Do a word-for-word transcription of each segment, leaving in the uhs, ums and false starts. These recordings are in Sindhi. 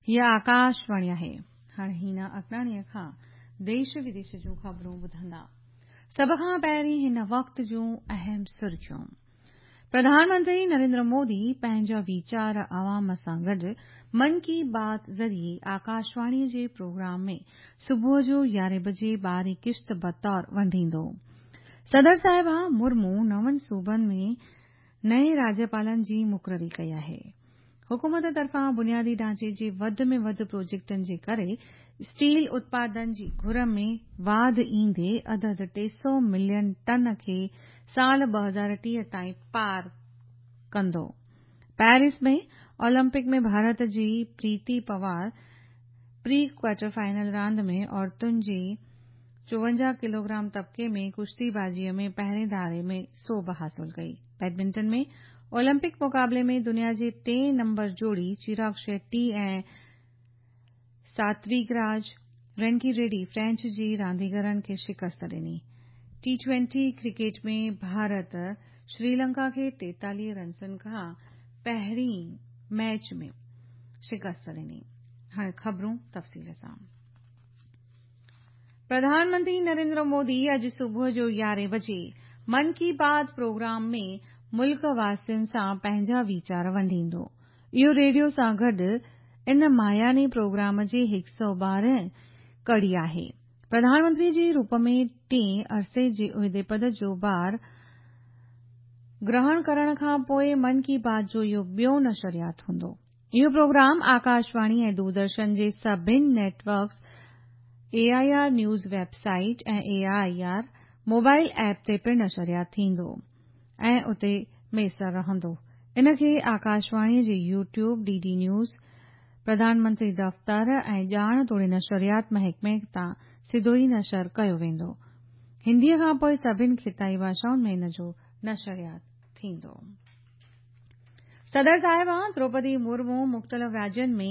هيء آڪاشواڻي آهي. هاڻي هينا اگناڻيء کان ديش وديش جون خبرون ٻڌندا. سڀ کان پهرين هن وقت جون اهم سرخيون. پرڌان منتري نريندر مودي پنهنجا ويچار عوام سان گڏ من ڪي بات ذريعي آڪاشواڻي جي پروگرام ۾ صبح جو يارهين بجي ٻارهين قسط بطور ونڊيندو. صدر صاحبه مرمو نون صوبن ۾ نئين راجيپالن جي مقرري ڪئي آهي. حڪومت طرفان بنيادي ڍانچي جي وڌ ۾ وڌ پروجيڪٽن جي ڪري اسٽيل اتپادن جي گهر ۾ واڌ ايندي عدد ٽي سؤ ملين ٽن کي سال ٻه هزار ٽيهه تائين پار ڪندو. پيرس ۾ اولمپڪ ۾ ڀارت جي Preeti Pawar pre quarter final راند ۾ عورتن جي چوونجاهه ڪلوگرام طبقي ۾ ڪشتي بازيء ۾ پهرين ڌاڙي ۾ سوڀ حاصل ڪئي. بيڊمنٽن ۾ اولمپڪ مقابلي ۾ دنيا جي ٽئين نمبر جوڙي چراگ شيٽي ۽ ساتويگراج رينڪي ريڊي فرينچ جي رانديگرن کي شڪست ڏني. T twenty cricket ۾ Bharat Sri Lanka کي ٽيتاليهه رنسن کان پهرين ميچ ۾ شڪست ڏني. هاڻي خبرون تفصيل سان. پرڌان منتري نريندر مودي اڄ صبح جو يارهين بجي من ڪي بات پروگرام ۾ ملڪ واسين سان پنهنجا ويچار ونڊيندو. اهو ريڊيو سان گڏ ان ماهياني پروگرام جي هڪ سؤ ٻارهن ڪڙي آهي. پرڌان منتري جي روپ ۾ ٽئين عرصي جي عهدي پد جو بار گرهڻ ڪرڻ کان پوءِ من ڪي بات جو اهو ٻيو نشريات هوندو. اهو پروگرام آڪاشواڻي ۽ دوردرشن جي سڀني networks, A I R news website ۽ A I R mobile app تي پڻ نشريات ٿيندو ۽ اتي ميسر رهندو. ان کي آڪاشواڻي جي YouTube, D D news, Pradhan Mantri دفتر ۽ ڄاڻ توڙي نشريات محڪمي تان سڌو ئي نشر ڪيو ويندو. هنديء کان پوءِ سڀني خطائي ڀاشائن ۾ ان جو نشريات ٿيندو. صدر صاحبه دروپدي مرمو مختلف راجين ۾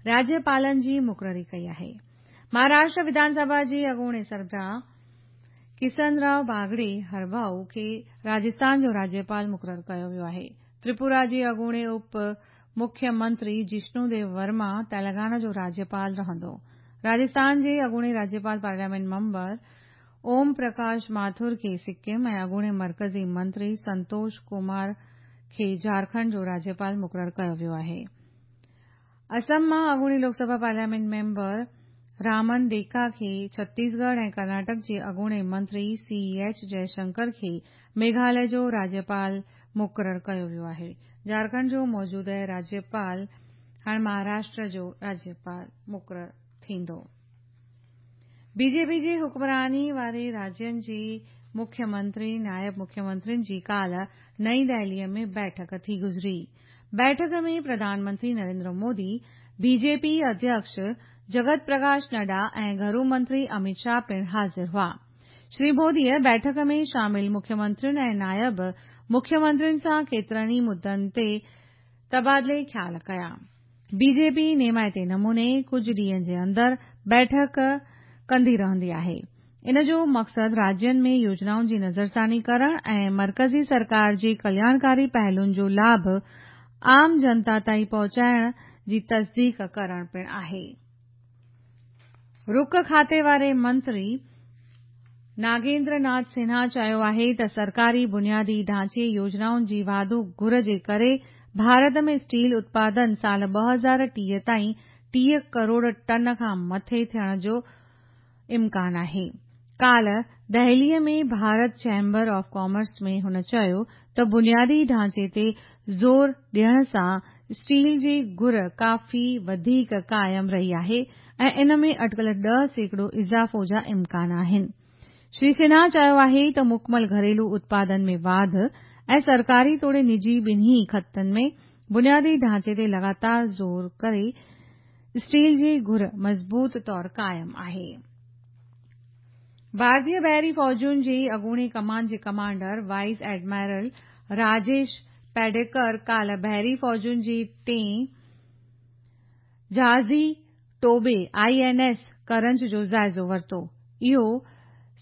راجيپالن جي مقرري ڪئي آهي. مهاراشٽر وڌان سڀا جي اڳوڻي سربراهه ڪسن رائو باگڙي هرڀائو کي راجسٿان جو راجيپال مقرر ڪيو ويو آهي. تريپورا جي اڳوڻي اپ مکيه منتري جشنو ديو ورما تيلنگانا جو راجيپال رهندو. راجسٿان جي اڳوڻي راجيپال پارليامينٽ ميمبر اوم پرڪاش ماٿر کي سڪم ۽ اڳوڻي مرڪزي منتري سنتوش ڪمار کي جهارکنڊ جو راجيپال مقرر ڪيو ويو آهي. اسم مان اڳوڻي لوڪ سڀا پارليامينٽ ميمبر رامن ديڪا کي ڇتيسڳڙهه ۽ ڪرناٽڪ جي اڳوڻي منتري سي ايڇ جئشنڪر کي ميگهاليه جو راجيپال مقرر ڪيو ويو آهي. جهارکنڊ جو موجوده راجيپال هاڻي مهاراشٽر جو راجيپال مقرر ٿيندو. بي جي پي جي حڪمراني واري راجين جي مکيه منتري، نائب مکيه منترين جي ڪالهه نئين دهليء ۾ بيٺڪ ٿي گذري. بيٺڪ ۾ پرڌان منتري نريندر مودي، بي جي پي اڌيڪش جگت پرڪاش نڊا ۽ گهرو منتري امت شاهه پڻ حاضر هئا. شري موديء بيٺڪ ۾ شامل مکيه منترين ۽ نائب مکيه منترين سان ڪيترن ئي مدعن تي تبادلي خيال ڪيا. بي جي پي نيمائتي نموني ڪجهه ڏينهن جي اندر بيٺڪ ڪندي رهندي آهي. ان جو مقصد راجين ۾ يوجنائن جي نظرثاني ڪرڻ ۽ مرڪزي سرڪار جي ڪلياڻڪاري پهلوئن جو لاڀ عام جنتا تائين پهچائڻ جي تصديق ڪرڻ پڻ آهي. رڪ کاتي واري منتري ناگيندر ناٿ سنها چيو آهي ته سرڪاري بنيادي ڍانچي يوجنائن جي واڌو گهر جي ڪري ڀارت ۾ اسٽيل اتپادن سال ٻه هزار ٽيهه تائين ٽيهه ڪروڙ ٽن کان مٿي ٿيڻ جو امڪان آهي. ڪالهه دهليء ۾ ڀارت چيمبر آف ڪامرس ۾ هن چيو ته بنيادي ڍانچي تي زور ڏيڻ سان اسٽيل جي گهر ڪافي وڌيڪ قائم رهي آهي ۽ ان ۾ اٽڪل ڏهه سيڪڙو اضافو جا امڪان آهن. شري سنها چيو آهي ته مڪمل گهريلو اتپادن ۾ واڌ ۽ سرڪاري توڙي نجي ٻنهي کاتن ۾ بنيادي ڍانچي تي لڳاتار زور ڪري اسٽيل جي گهر مضبوط طور قائم آهي. ڀارتيه بحري فوجن جي اڳوڻي ڪمان جي ڪمانڊر وائيس ايڊمرل راجيش پيڊيڪر ڪالهه بحري فوجن جي ٽئين جهازي ٽوٻي I N S Karanj جو جائزو ورتو. اهو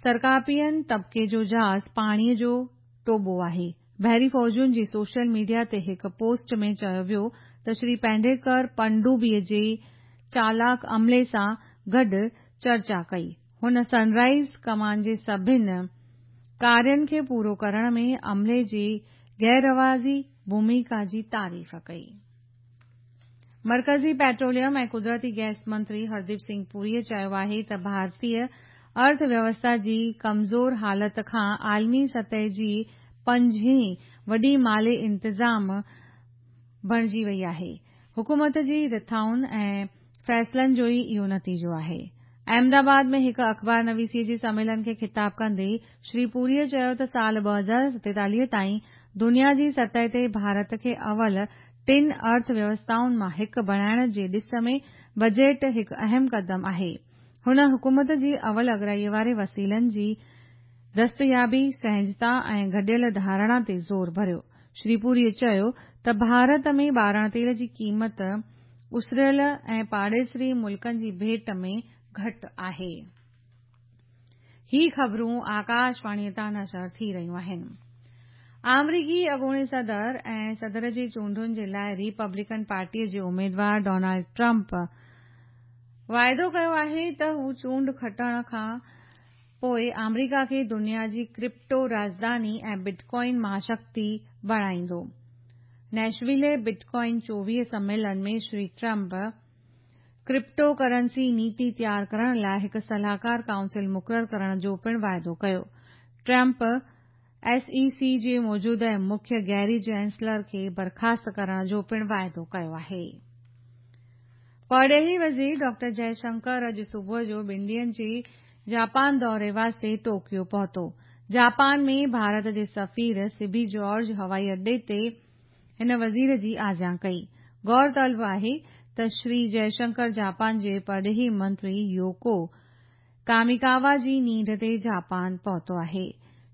سرڪاپين طبقي جو جهاز پاڻيء جو ٽوٻو آهي. بحري فوجن جي سوشل ميڊيا تي هڪ پوسٽ ۾ چيو ويو ته شري پيڊيڪر پنڊوبيء جي چالاڪ عملي سان گڏ چرچا ڪئي. هن سن رائز ڪمان جي سڀني ڪارين کي پورو ڪرڻ ۾ عملي جي غير روايتي ڀوميڪا جي تعريف ڪئي. مرڪزي پيٽروليم ۽ قدرتي گئس منتري هرديپ سنگهه پوريءَ چيو آهي ته ڀارتيه ارٿ ويوسٿا جي ڪمزور حالت کان عالمي سطح جي پنجين وڏي مالي انتظام بڻجي وئي آهي. حڪومت جي رٿائن ۽ فيصلن جو ئي اهو نتيجو آهي. احمدآباد ۾ هڪ اخبار نويسيءَ جي سميلن کي خطاب ڪندي شري پوريءَ چيو ته سال ٻه هزار ستيتاليهه تائين دنيا جي سطح تي ڀارت کي اول ٽن ارٿ ويوسٿائن مان هڪ بڻائڻ جي ڏس ۾ بجيٽ هڪ اهم قدم آهي. هن حڪومت جي اول اڳرائيءَ واري وسيلن جي دستيابي، سهجتا ۽ گڏيل ڌارڻا تي زور ڀريو. شري پوريءَ چيو ته ڀارت ۾ ٻارڻ تيل جي قيمت اسريل ۽ پاڙيسري ملڪن جي ڀيٽ ۾ گهٽ آهي. هي خبرون آڪاشواڻيءَ تان نشر ٿي رهيون آهن. آمريڪي اڳوڻي صدر ۽ صدر جي چونڊن جي لاءِ ريپبلڪن پارٽيءَ جي اميدوار ڊونلڊ ٽرمپ واعدو ڪيو آهي ته هو چونڊ کٽڻ کان پوءِ آمريڪا کي دنيا جي ڪرپٽو راڄڌاني ۽ بٽ ڪوائن مهاشڪتي بڻائيندو. نيشولي بٽ ڪوائن چوويهه سميلن ۾ شري ٽرمپ ڪرپٽو ڪرنسي نيتي تيار ڪرڻ لاءِ هڪ صلاحڪار ڪائونسل مقرر ڪرڻ جو پڻ واعدو ڪيو. ٽرمپ ايس اي سي جي موجوده مکيه گيري جينسلر کي برخاست ڪرڻ جو پڻ واعدو ڪيو آهي. پرڏيهي وزير ڊاڪٽر جئشنڪر اڄ صبح جو ٻن ڏينهن جي جاپان دوري واسطي ٽوڪيو پهتو. جاپان ۾ ڀارت جي سفير سبي جارج هوائي اڏي تي هن وزير جي آجيان ڪئي. غور طلب آهي ته شري جئشنڪر جاپان جي پرڏيهي منتري يوڪو ڪاميڪاوا جي نينڍ تي جاپان پهتو آهي.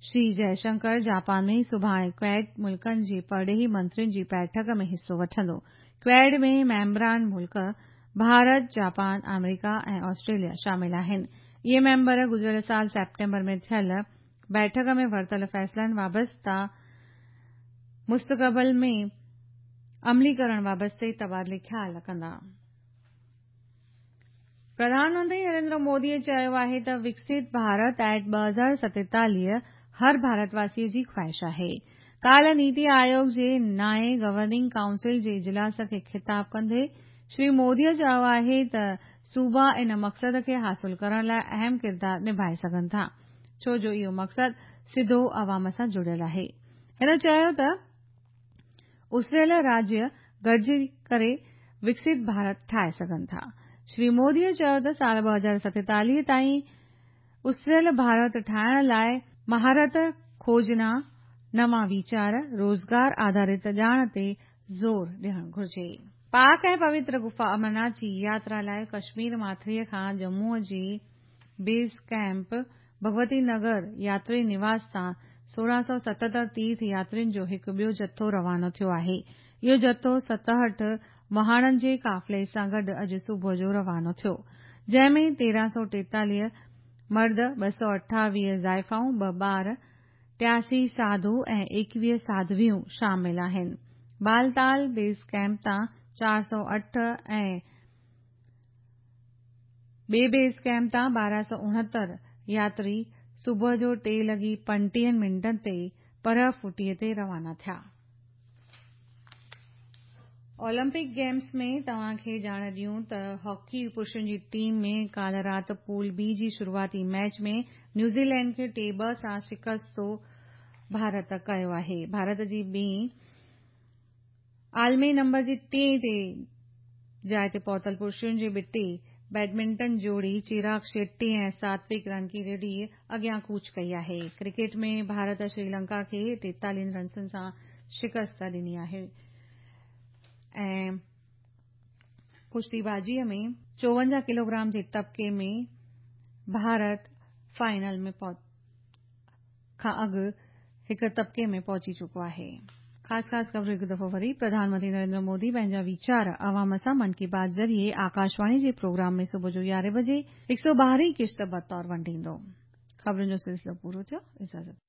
شري جئشنڪر جاپان ۾ سڀاڻي ڪواڊ ملڪن جي پرڏيهي منترين جي بيٺڪ ۾ حصو وٺندو. ڪواڊ ۾ ميمبران ملڪ ڀارت، جاپان، آمريڪا ۽ آسٽريليا شامل آهن. اهي ميمبر گذريل سال سيپٽمبر ۾ ٿيل بيٺڪ ۾ ورتل فيصلن وابسته مستقبل ۾ عملي ڪرڻ وابستي تبادلي خيال ڪندا. پرڌان منتري نريندر موديءَ چيو آهي ته وڪست ڀارت ايٽ ٻه هزار ستيتاليهه هر ڀارتواسيءَ جي خواهش آهي. ڪالهه نيتي آيوگ جي نائين گورننگ ڪائونسل جي اجلاس کي خطاب ڪندي شري موديءَ چيو آهي ته صوبا ان مقصد کي حاصل ڪرڻ لاءِ اهم ڪردار نڀائي سگهن ٿا، ڇو جو اهو مقصد سڌو عوام سان جڙيل آهي. هن چيو ته اسريل راجيه گڏجي ڪري وڪست ڀارت ٺاهي سگهن ٿا. شري موديءَ چيو ته سال ٻه هزار ستيتاليهه تائين اسريل ڀارت ٺاهڻ لاءِ مهارت، کوجنا، نوان ويچار، روزگار آڌارت ڄاڻ تي زور ڏيڻ گهرجي. پاڪ ۽ پوتر گفا امرناٿ جي ياترا لاءِ ڪشمير ماٿريءَ کان ڄمون جي بيس ڪيمپ ڀڳوتي نگر ياتري نواس تان سورهن سؤ ستهتر تيرٿ ياترين جو هڪ ٻيو جٿو روانو ٿيو آهي. اهو جٿو ستهٺ وهاڻن جي قافلي سان گڏ اڄ صبح جو روانو ٿيو، جنهن ۾ تيرهن سؤ ٽيتاليهه مرد، ٻه سؤ اٺاويهه زائفائون، ٻه ٻار، ٽياسي ساڌو ۽ ايڪويهه ساڌويون شامل آهن. بالتال بيس ڪيمپ تان چار سؤ اٺ ۽ ٻئي بيس ڪيمپ تان ٻارهن سؤ اڻهتر ياتري صبح جو ٽي لڳي پنٽيهن منٽن تي پرهه ڦٽيءَ تي روانا ٿيا. اولمپڪ گيمز ۾ توهان کي ڄاڻ ڏيون ته هاڪي پرشن جي ٽيم ۾ ڪالهه رات پول بي جي شروعاتي ميچ ۾ نيوزيلينڊ کي ٽي ٻه سان شڪستو ڀارت ڪيو آهي. ڀارت جي ٻي عالمي نمبر جي ٽئين تي جاءِ تي پهتل پرشن جي ٻٽي بيڊمنٽن جوڙي چراگ شيٽي ۽ ساتوڪ رنڪي ريڊي اڳيان ڪوچ ڪئي آهي. ڪرڪيٽ ۾ ڀارت شري لنڪا کي ٽيتاليهن رنسن سان شڪست ڏني آهي ۽ ڪشتيبازيءَ ۾ چوونجاهه ڪلوگرام جي طبقي ۾ ڀارت فائنل ۾ کان اڳ هڪ طبقي ۾ پهچي چڪو آهي. خاص خاص خبرون هڪ دفعو وري. پرڌان منتري نريندر مودي پنهنجا ويچار عوام سان من ڪي بات ذريعي آڪاشواڻي جي پروگرام ۾ صبح جو يارهين بجي هڪ سؤ ٻارهين قسط بطور ونڊيندو. خبرن جو سلسلو پورو ٿيو. اجازت.